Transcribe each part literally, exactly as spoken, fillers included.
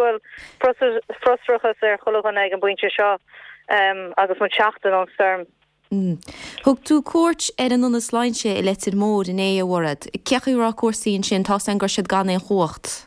go bhfuil frustrachas ar chuile dhuine ag an bpointe seo um, agus muid seachtain ón stoirm. Mm. Thug tú cuairt ar an ionad sláinte i Leitir Móir inné, a Mhairéad. Cén chaoi a raibh cúrsaí ansin? Tá an gur siad gan aon chumhacht.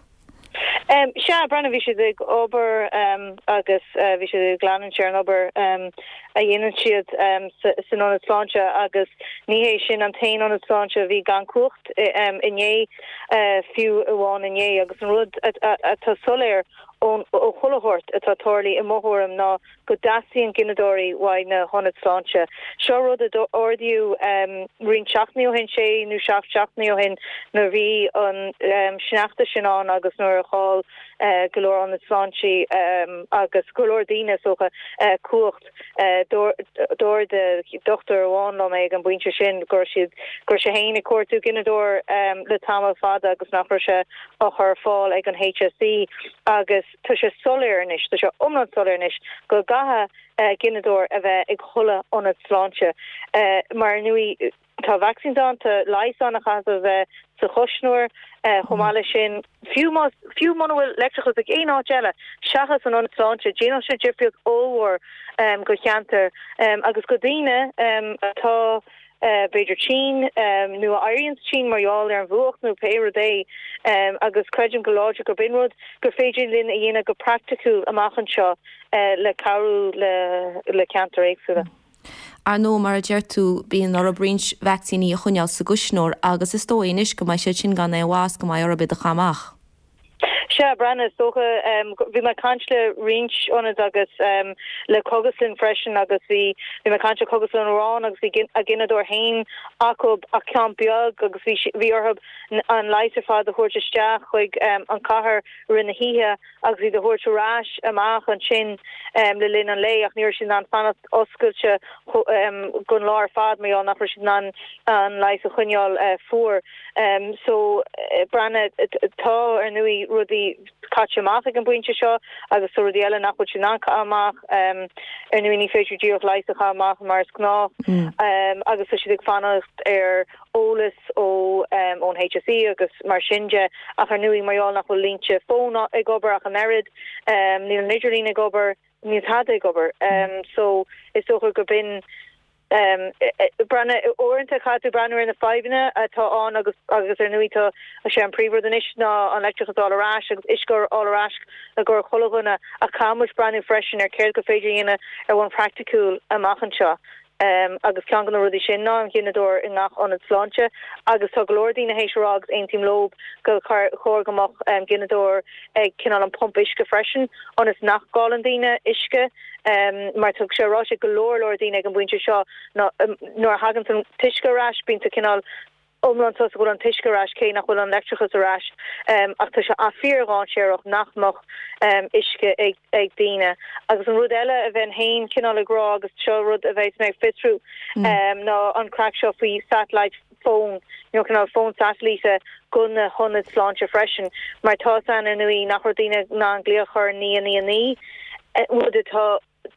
Um, Sea, Breandán, bhí siad ag obair um, agus uh, bhí siad ag leanúint ar an obair um, a dhéanann siad um, san ionad sláinte, agus ní hé sin an t-aon ionad sláinte bhí gan cumhacht um, inné, uh, fiú amháin inné. Agus an rud atá soiléir ón ó chuile shórt atá tarlaithe, i mo thuairim, ná go dteastaíonn gineadóirí uaidh na hionaid sláinte. Seo rud a ardaíodh um, roinnt seachtainí ó shin, sé nó seacht seachtainí ó shin, nuair bhí an um, sneachta sin ann agus nuair a chaill uh, go leor ionaid sláinte um, agus go leor daoine socha uh, cumhacht. uh, dúirt dochtúir amháin liom ag an bpointe sin gur siad gur sé féin ag cuartú gineadóir um, le tamall fada agus nach raibh sé á chur ar fáil ag an H S E. Agus tá sé soiléir anois, tá sé iomlán soiléir anois go gcaithfidh uh, gineadóir a bheith ag chuile ionad sláinte, uh, mar nui tá vaccine ann, tá leigheas ann a chaithfidh a bheith sa chuisneoir. uh, chomh maith leis sin, fiú fiú muna bhfuil leictreachas ag aon áit eile seachas an ionad sláinte, déanann sé difríocht ollmhór um, go cheantar um, agus go daoine um, atá uh, b'fhéidir tinn um, nó a éiríonn tinn mar gheall ar an bhfuacht nó pé rud é. um, agus creidim go láidir gur b'in rud gur féidir linn a dhéanamh go praiticiúil amach anseo uh, le cabhrú le le ceantair éagsúla. Ar ndóigh, mar a deir tú, bíonn orthu roinnt vacsaíní a choinneáil sa gcuisneoir agus is dóigh anois go mbeidh siad sin gan aon mhaith, go mbeidh orthu iad a chaitheamh amach. Sea, Breandán, is dócha um, bhí mé ag caint le roinnt ionad agus um, le Cógaslann freisin, agus bhí bhí mé ag caint le Cógaslann amháin agus bhí a gineadóir féin acu ach ceann beag, agus bhí bhí orthu an leigheas ar fad a thabhairt isteach chuig um, an cathair rith na hoíche agus iad a thabhairt ar ais amach ansin um, le linn an lae, ach ní sin an fanacht oscailte um, gon lá ar fad mé nach sin an an leigheas a choinneáil uh, fuar. um, so uh, Breandán, tá ar ndóigh rudaí caite amach ag an bpointe seo agus so rudaí eile nach bhfuil sin an amach. um, ar ndóigh ní féidir díreach leigheas a chaitheamh amach mar is gnáth mm. um, agus tá siad ag fanacht ar eolas ó um, ón H S E agus mar sin de, ach ar ndóigh mar nach bhfuil línte fón ag obair ach an oiread, um, níl an idirlíon ag obair, níl tada ag obair. um, so is dócha go b'in um Breandán, uaireanta caithfidh tú breathnú ar na fadhbanna atá ann agus agus ar ndóigh tá sé an príomhrud anois ná an leictreachas a fháil ar ais agus uisce a fháil ar ais go chuile dhuine, ach caithfidh muid breathnú freisin ar céard gur féidir dhéanamh ar bhonn praiticiúil amach anseo. Um, agus ceann de na rudaí sin ná an gineadóir i ngach ionad sláinte, agus tá go leor daoine théis a rá, agus aontaím leo, go chóir go mbeadh um, gineadóir ag cineál an pump uisce freisin ionas nach gcailleann daoine uisce, um, mar tá sé ráite go leor leor daoine ag an bpointe seo ná um, nuair a thagann an t-uisce ar ais, bíonn cineál iomlán sásta go bhfuil an t-uisce ar ais cé nach bhfuil an leictreachas ar ais, um, ach tá sé fíordhainséarach nach mbeadh um, uisce ag, ag daoine. Agus an rud eile a bheinn féin cineál ag rá, agus seo rud a bheidh mé ag fiosrú, mm. um, ná an craic seo faoi satellite phone nó cineál fón satailíte go na hionaid sláinte freisin, mar tá an ar ndóigh nach raibh daoine in ann glaoch ar naoi naoi naoi, rud atá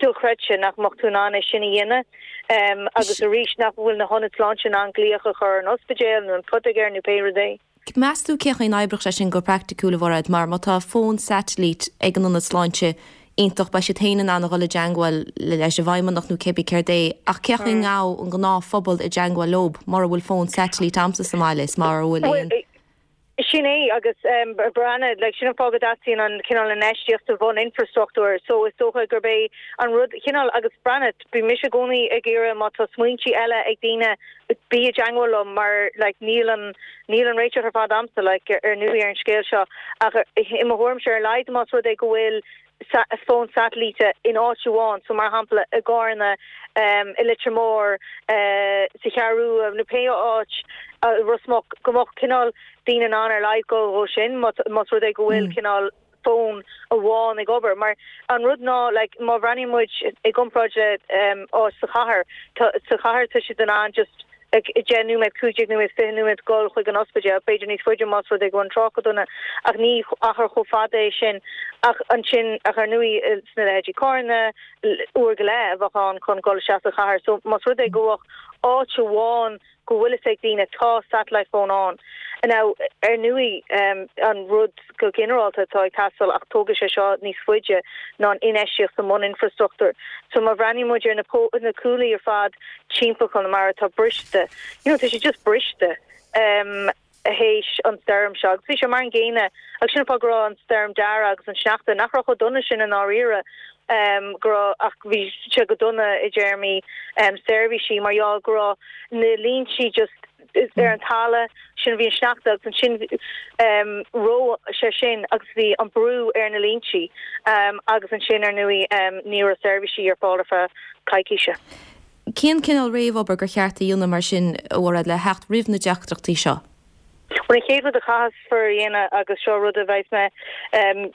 dochreidte nach mbeadh tú in ann é sin a dhéanamh, um, agus arís nach bhfuil na hionaid sláinte in ann glaoch a chur an ospidéal nó an poitigéir nó pé rud é. Meas tú cén chaoi a n-oibreodh sé sin go praiticiúil, a Mhairéad, mar má tá fón satailíte ag an ionad sláinte, iontach, beidh siad féin in ann a dhul i dteagmháil leis an bhfeidhmeannach nó cibé céard é, ach cén chaoi a ngabhfaidh an gnáthphobal i dteagmháil leo mura bhfuil fón satailíte agamsa sa mbaile is mar bhfuil aon. Sin é, agus um, Breandán, like, sin an fáth go dteastaíonn an cineál infheistíocht sa bhuninfrastruchtúr. So is dócha gurb é an rud cineál, agus Breandán, bhí mise i gcónaí ag iarraidh, má tá smaointe eile ag daoine, bí i dteagmháil liom, mar like, níl an níl an réiteach ar fad agamsa, like, ar ndóigh, ar an scéal seo, ach i mo thuairimse, ar a laghad más rud é go bhfuil fón satailíte in áit amháin, so mar shampla i gCarna, um, i Leitir Móir, uh, sa Cheathrú nó pé áit, uh, Ros Muc, go mbeadh cineál daoine in ann ar a laghad go sin más rud é go bhfuil mm. cineál fón amháin ag obair. Mar an rud ná, like, má bhreathnaíonn muid i gcomparáid le um, áit sa chathair, sa chathair tá siad in ann just ag deich nóiméad, cúig nóiméad, fiche nóiméad dul chuig an ospidéal, b'fhéidir níos faide más rud é go an trácht dona, ach ní achar chomh fada é sin. Ach ansin, ach ar ndóigh sna leithéidí Carna, uair go leith a bheadh ann chun dul isteach sa chathair. So más rud é go bhfuil áit amháin go bhfuil ag daoine tá satellite phone ann, Now, ar ndóigh um, an rud go ginearálta atá ag teastáil ach tógfaidh sé seo níos faide ná an infheistíocht sa mbuninfrastruchtúr. So má bhreathnaíonn muid ar na, na cuaillí ar fad timpeall Chonamara atá briste. You know, tá sé just briste. Um, théis an stoirm seo. Bhí sé mar an gcéanna agus sin go raibh an stoirm Dara agus an sneachta nach raibh chomh dona sin i ndáiríre um, go raibh ach bhí sé go dona i dtéarmaí um, seirbhísí mar ja go raibh na línte just ar an talamh sin bhí an sneachta agus sin um, ro sé sin agus bhí an brú ar na línte um, agus ansin ar ndóigh um, ní raibh seirbhísí ar fáil ar feadh coicíse. Cén cineál réamhobair gur cheart a dhéanamh mar sin a Mhairéad le theacht roimh na deacrachtaí seo? Well an chéad rud a chaithfear a dhéanamh agus seo rud a bheidh mé um,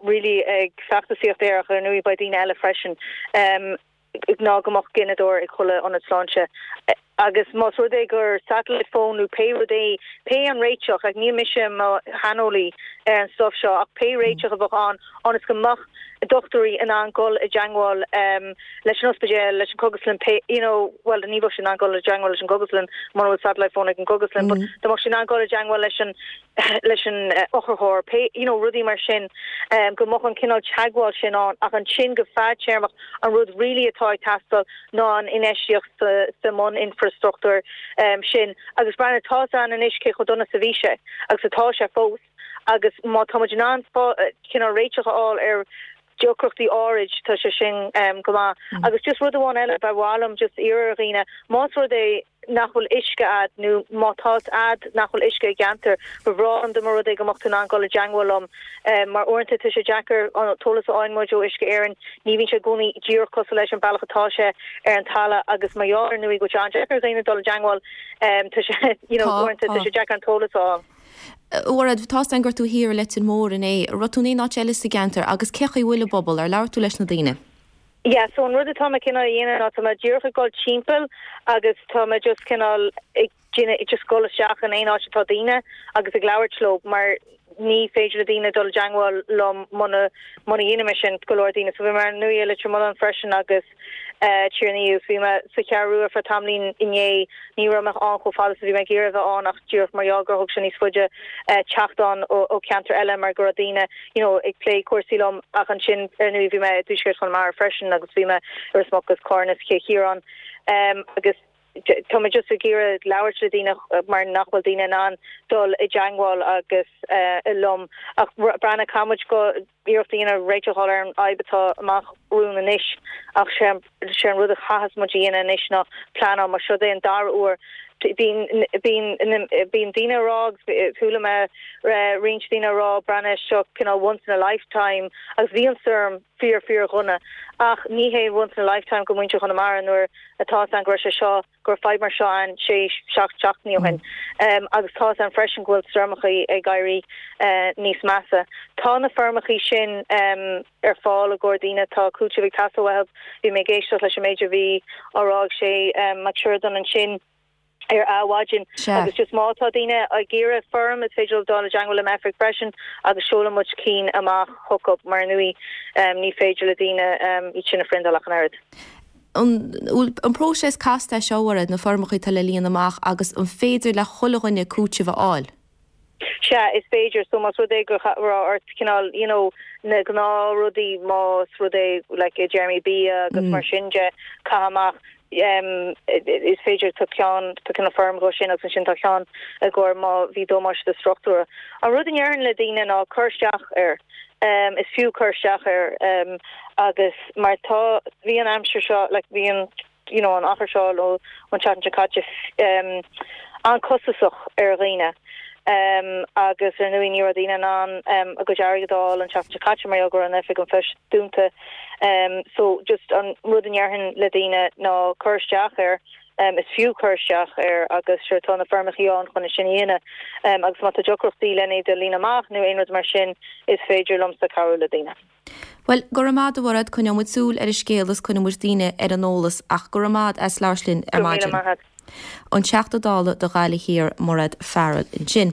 really ag feachtasaíocht air ach ar ndóigh beidh daoine eile freisin um, ná go mbeadh gineadóir ag chuile ionad sláinte. Agus más rud é gur satellite phone nó pé rud é pé an réiteach ag ní mise mo shaineolaí ar an stuff seo ach pé réiteach a bheadh ann ionas go mbeadh dochtúirí in ann dul i dteagmháil um, leis an ospidéal leis an gcógaslann pé you know well ní bheadh in ann dul i dteagmháil leis an gcógaslann mura bhfuil satellite phone ag an gcógaslann mm -hmm. but dá sin angóil i dteagmháil leis an leis an uh, otharcharr pé you know rudaí mar sin um, go mbeadh an cineál teagmháil sin ann ach ansin go fadtéarmach an rud really atá ag teastáil ná an infheistíocht sa, sa mbuninfrastruchtúr um, sin agus breathnaigh tá an anois cé chomh dona is a bhí sé agus atá sé fós agus má tá in ann cineál réiteach a fháil ar deacrachtaí áirid tá sé sin um, go maith mm. agus just rud amháin eile ba mhaith liom just iarraidh ar dhaoine más rud é nach bhfuil uisce agat nó má tá agat nach bhfuil uisce i gceantar ba bhreá liom dá mba rud é go mbeadh tú in ann dul i dteagmháil liom um, mar uaireanta tá sé deacair an t-eolas a fhaigheann muid ó Uisce Éireann ní bhíonn sé i gcónaí díreach cosúil leis an bealach atá sé ar an talamh agus mar ar ndóigh go deacair daoine dul i dteagmháil um, tá sé you know, uaireanta tá sé deacair an t-eolas a fháil. Mhairéad tá an gur tú thiar i Leitir Móir inné, raibh tú in aon áit eile sa gceantar agus cé chaoi bhfuil an pobal ar labhair tú leis na daoine. Yeah, so an rud atá mé cineál a dhéanamh ná tá mé díreach ag dul timpeall agus tá mé just cineál ag just dul isteach in aon áit atá daoine agus ag labhairt leo mar ní féidir le daoine dul i dteagmháil liom muna muna dhéanaim sin go leor daoine so bhí mé ar ndóigh i Leitir Mealláin freisin agus uh, Tír an Fhia bhí mé sa Cheathrú Rua ar feadh tamaillín inné ní raibh mé ann chomh fada bhí mé ag iarraidh bheith ann ach díreach mar gur thóg sé níos faide uh, teacht ann ó, ó ceantar eile mar go raibh daoine you know, ag plé cúrsaí liom ach ansin ar ndóigh bhí mé i dTuaisceart Chonamara freisin agus bhí mé ar Ros Muc Carna Cill Chiaráin um, agus tá mé just ag iarraidh labhairt le daoine mar nach bhfuil daoine in ann dul i dteagmháil agus uh, liom ach breathnaigh caithfidh muid go iarracht a dhéanamh réiteach ar an fhadhb atá amach romhainn anois ach sé sé an rud a chaithfeas muid a dhéanamh anois ná pleanáil mar seo é an dara huair bíonn bíonn daoine ag rá chuala mé roinnt daoine ag rá breathnaigh seo cineál once in a lifetime agus bhí an stoirm fíor fíor dhona ach ní hé once in a lifetime go muintir Chonamara nuair atá an go sé seo gur fadhb mar seo an sé seacht seachtainí ó shin um, agus tá an freisin go bhfuil stoirmeacha ag éirí uh, níos measa. Tá na foirmeacha sin um, ar fáil i gcomhair daoine tá cúiteamh ag teastáil bhí mé ag éisteacht leis an méid a bhí á rá ag sé um, Mac Siúrdan ansin ar Adhmhaidin agus just má tá daoine ag iarraidh foirm is féidir dul i dteagmháil le m'oifig freisin agus seolfaidh muid cinn amach chucu mar ndóigh um, ní féidir le daoine um, iad sin a phriontáil ach an oiread. An, an próiseas casta seo na foirmeacha atá le líonadh amach agus an féidir le chuile dhuine cúiteamh a fháil. Sea is féidir so más rud é go raibh ort cineál you know, na gnáthrudaí más rud é like, Jeremy bia agus mm. mar sin de caitheamh um, is féidir tá ceann tá ceann foirm go sin agus sin tá ceann i gcomhair má bhí damáiste struchtúir. An rud a ndéarfainn le daoine ná cur isteach air. Um, is fiú cur isteach air um, agus mar tá bhí an aimsir seo like, bhí an you know, an achar seo ó an tseachtain seo caite um, an-chostasach ar dhaoine. Um, agus ar ndóigh ní raibh daoine in ann um, a gcuid airgid a fháil an tseachtain seo caite mar go raibh an oifig an phoist dúnta. Um, so just an rud a ndéarfainn le daoine ná cur isteach air um, is fiú cur isteach air agus sure tá na foirmeacha ann chun sin a dhéanamh um, agus má tá deacrachtaí lena iad a líonadh amach nó aon rud mar sin is féidir liomsa cabhrú le daoine. Well go raibh maith agat a Mhairéad coinneoidh muid súil ar an scéal is coinneoidh muid daoine ar an eolas ach go raibh maith agat as labhairt linn ar maidin. An Teachta Dála do Ghaillimh Thiar Mairéad Farrell ansin.